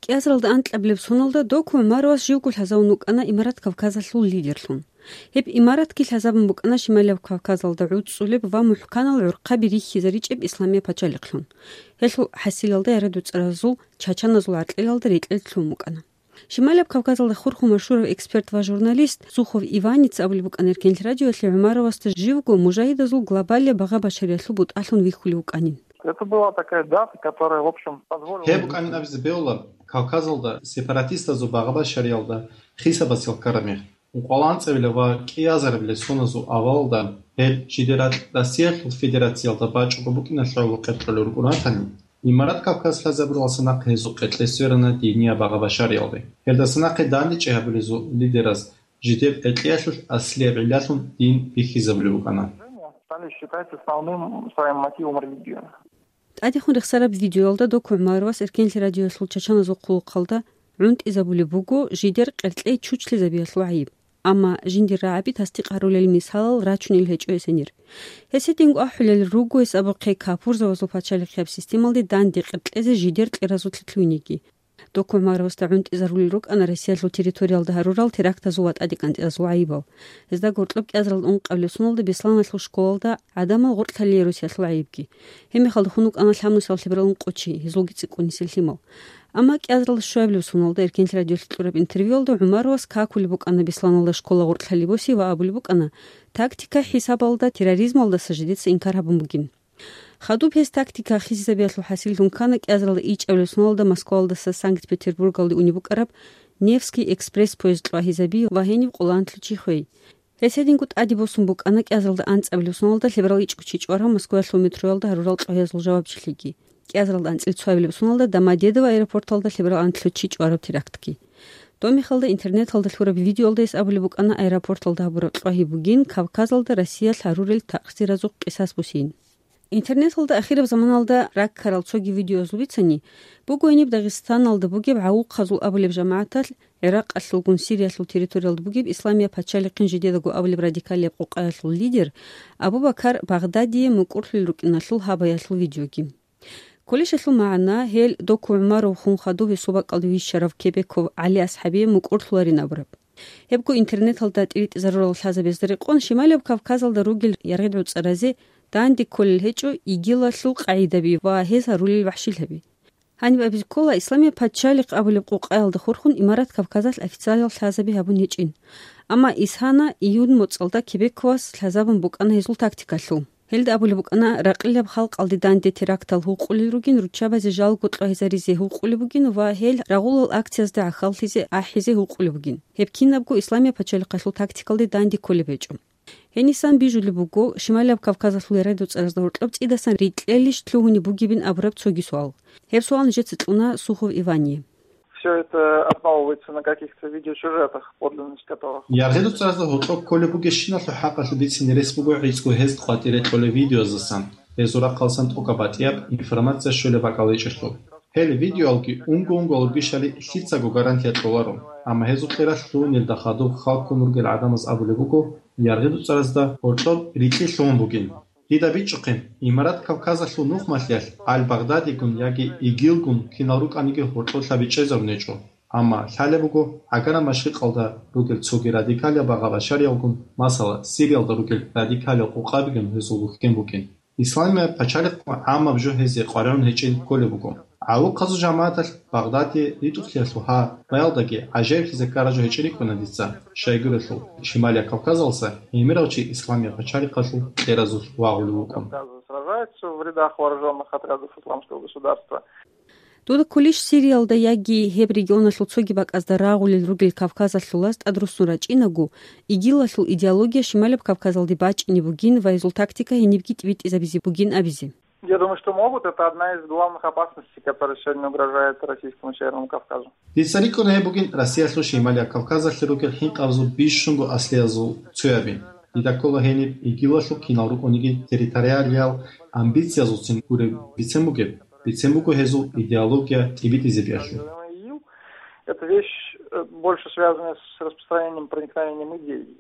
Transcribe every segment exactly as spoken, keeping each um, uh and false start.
КӀиазаралда анкьабилеб соналда Доку ГӀумаровас живго лъазавун вукӀана Имарат Кавказалъул лидерлъун. Гьеб имаратги лъазабун букӀана Шималаб Кавказалда гӀуцӀцӀулеб ва мухӀканал гӀурхъаби рихьизаричӀеб Исламия пачалихълъун. Гьелъул хӀасилалда яргъи-дуцӀаразул чачаназул гӀаркьелалда рекьел лъун букӀана. Шималаб Кавказалда хурхун машгьурав эксперт ва журналист Сухов Иваница абулеб букӀана Эркенлъи радиоялъе ГӀумаровасда живго мужагьидазул глобалияб багъа-башариялъул бутӀалъун вихьулев вукӀанин. Это была такая дата, которая, в общем, позволила... Гьеб букӀанин абизе бегьула, Кавказалда сепаратистазул багъа-башариялда хисабас ккараб мех, ункъоялда анцӀабилеб ва кӀиазарабилеб соназул авалалда гьел жидер ракь Россиялъул Федерациялда бачӀого букӀиналъ гӀоло къеркьулел рукӀун ратани, Имарат Кавказ лъазабуралдаса нахъе гьезул къеркьей сверана динияб багъа-башариялде. Гьелдаса нахъе дандечӀей гьабулезул лидераз жидер къеркьеялъулъ аслияб гӀиллалъун дин бихьизабулеб букӀана. Стали считать основным своим мотивом религию. ТӀадехун рехсараб видеоялда Доку ГӀумаровас Эркенлъи радиоялъул чачаназул хъулухъалда гӀунтӀизабулеб буго жидер къеркьей чучлъизабиялъул гӀайиб. Амма жиндир рагӀаби тасдикъ гьарулел мисалал рачунел гьечӀо гьес гьенир. Гьес гьединго ахӀулел руго гьес абухъе капурзабазул пачалихъияб системалде данде къеркьезе жидер кьеразулъе лъугьинеги. Доку ГӀумаровасда гӀунтӀизарулел рукӀана Россиялъул территориялда гьарурал терактазул ва тӀадекӀантӀиязул гӀайибал. Гьезда гьоркьоб кӀиазаралда ункъабилеб соналда Бесланалъул школалда гӀадамал гъоркь лъалие росиялъул гӀайибги. Гьебмехалда хун вукӀана лъабнусияб лъеберал ункъо чи, гьезулги цӀикӀкӀунисел лъимал. Амма кӀиазаралда щуабилеб соналда Эркенлъи радиолъе кьураб интервьюялда ГӀумаровас какулеб букӀана Бесланалда школа гъоркь лъали боси ва абулеб букӀана, тактика хӀисабалда терроризмалдаса жидеца инкар гьабун бугин. Хадуб гьес тактика хисизабиялъул хӀасиллъун ккана кӀиазаралда ичӀабилеб соналда Москвалдаса Санкт-Петербургалде унеб букӀараб Невский экспресс-поезд кьвагьизаби ва гьениб къоло анлъго чи хвей. Гьес гьединго тӀаде босун букӀана кӀиазаралда анцӀабилеб соналда лъеберал ичӀго чи чӀварав Москваялъул метроялда гьарурал кьвагьазул жавабчилъиги. КӀиазаралда анцӀила цоабилеб соналда Домодедово аэропорталда лъеберал анлъго чи чӀвараб терактги. Доб мехалда интернеталда лъураб видеоялда гьес абулеб букӀана аэропорталда гьабураб кьвагьи бугин Кавказалда Россиялъ гьарурел такъсиразухъ къисас босин. Интернеталда ахираб заманалда раккарал цоги видеоязул бицани, буго гьениб Дагъистаналда бугеб гӀавухъазул абулеб жамагӀаталъ, ГӀиракъалъулгун Сириялъул территориялда бугеб Исламия пачалихъин жидедаго абулеб радикалияб къукъаялъул лидер Абу-Бакар Багъдадие мукӀурлъулел рукӀиналъул гьабаялъул видеоги. Кколищ гьелъул магӀна, гьел Доку ГӀумаров хун хадуб гьесул бакӀалде вищарав Кебеков ГӀали-АсхӀабие мукӀурлъуларин абураб. Гьебго интернеталда тӀиритӀизарурал лъазабазда рекъон Шималияб Кавказалда ругел яргъи-дуцӀаразе данде кколел гьечӀо ИГИЛалъул къагӀидаби ва гьез гьарулел вахӀшилъаби. Гьаниб абизе ккола, Исламияб пачалихъ абулеб къукъаялда хурхун Имарат Кавказалъ официалиял лъазаби гьабун гьечӀин. Амма исана июнь моцӀалда Кебековас лъазабун букӀана гьезул тактикалъул. Гьелда абулеб букӀана, ракъилаб халкъалде данде терактал гьукъулел ругин, руччабазе жалго кьвагьизаризе гьукъулеб бугин ва гьел рагъулал акциязда гӀахьаллъизе ахӀизе гьукъулеб бугин. Гьеб кинабго Исламияб пачалихъалъул тактикалде данде кколеб гьечӀо. Гьенисан бижулеб буго, Шималияб Кавказалъул яргъи-дуцӀаразда гьоркьоб цӀидасан рикьелищ лъугьунеб бугебин абураб цоги суал. Гьеб суал нижеца кьуна Сухов Ивание. Все это основывается на каких-то видеосюжетах, подлинность которых... ЯргъидуцӀаразда гьоркьоб кколеб бугебщиналъул хӀакъалъулъ бицинеб рес буго гӀицӀго гьез къватӀире кьолеб видеояздасан, гьезул рахъалсан тӀокӀаб батӀияб информация щолеб бакӀал гьечӀелъул. Гьел видеоялги унго-унго гьабураб бищали лъицаго гарантия кьоларо, амма гьезул кьералъ лъугьунелда хадуб хал ккун ругел гӀадамаз абулеб буго, яргъидуцӀаразда гьоркьоб рикьи лъугьун бугин. Дида бичӀчӀухъе, Имарат Кавказалъул нухмалъиялъ Аль-Багъдадигун яги ИГИЛгун кинал рукӀаниги гьоркьоб лъабичӀезарун гьечӀо. Амма лъалеб буго, гӀагараб машрикъалда ругел цоги радикалияб багъа-башариялгун, масала, Сириялда ругел радикалиял къукъабигун гьезул вухьен букӀин. Исламияб пачалихъ гӀаммаб жо гьезие къваригӀун гьечӀин кколеб буго. ГӀавухъазул жамагӀаталъ Багъдаде ритӀухълъиялъул гьа баялдаги гӀажаиблъизе ккараб жо гьечӀин рикӀкӀуна дица, щайгурелъул Шималияб Кавказалдаса гӀемерав чи Исламияб пачалихъалъул кьеразулъ вагъулев вукӀун. Сражаются в рядах вооружённых отрядов Исламского государства. Дуда кколищ Сириялда яги гьеб регионалъул цоги бакӀазда рагъулел ругел Кавказалъулаз тӀадруссун рачӀинаго, ИГИЛалъул идеология Шималияб Кавказалде бачӀине бугин ва гьезул тактика гьенибги тӀибитӀизабизе бугин абизе? Я думаю, что могут. Это одна из главных опасностей, которая сегодня угрожает Российскому Северному Кавказу. Дица рикӀкӀуна гьеб бугин Россиялъул Шималияб Кавказалъе ругел хӀинкъабазул бищунго аслиязул цояби. Дида ккола гьениб ИГИЛалъул кинал рукӀуниги территориалиял амбициязулцин гуреб бицен бугеб, бицен буго гьезул идеология тӀибитӀизабиялъе. Это вещь, э, больше связанная с распространением, проникновением идей.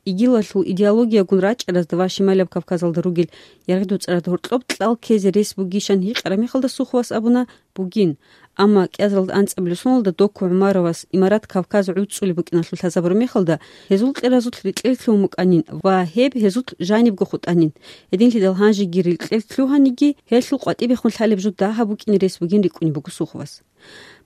ИГИЛалъул идеологиягун рачӀаразда ва Шималияб Кавказалда ругел яргъи-дуцӀараз гьоркьоб кьал ккезе рес бугищан гьикъараб мехалда Суховас абуна, бугин. Амма кӀиазаралда анцӀабилеб соналда Доку ГӀумаровас имарат Кавказ гӀуцӀулеб букӀиналъул лъазабураб мехалда, гьезул кьеразулъ рекьел лъугьун букӀанин ва гьеб гьезулъ жанибго хутӀанин. Гьединлъидал гьанжеги рекьел лъугьаниги, гьелъул къватӀибехун лъалеб жо дагьаб букӀине рес бугин рикӀкӀунеб буго Суховас.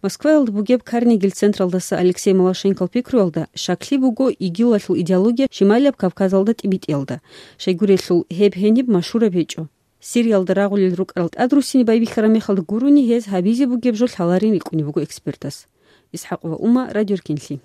Москваялда бугеб Карнегил централдаса Алексей Малашенкол пикруялда, щаклъи буго ИГИЛалъул идеология Шималияб Кавказалда тӀибитӀиялда. Щайгурелъул, гьеб гьениб машгьураб гьечӀо. Сириялда рагъулел рукӀарал тӀадруссине байбихьараб мехалда гурони гьез гьабизе бугеб жо лъаларин рикӀкӀунеб буго экспертас. ИсхӀакъова Ума, Радио Ркенлъи.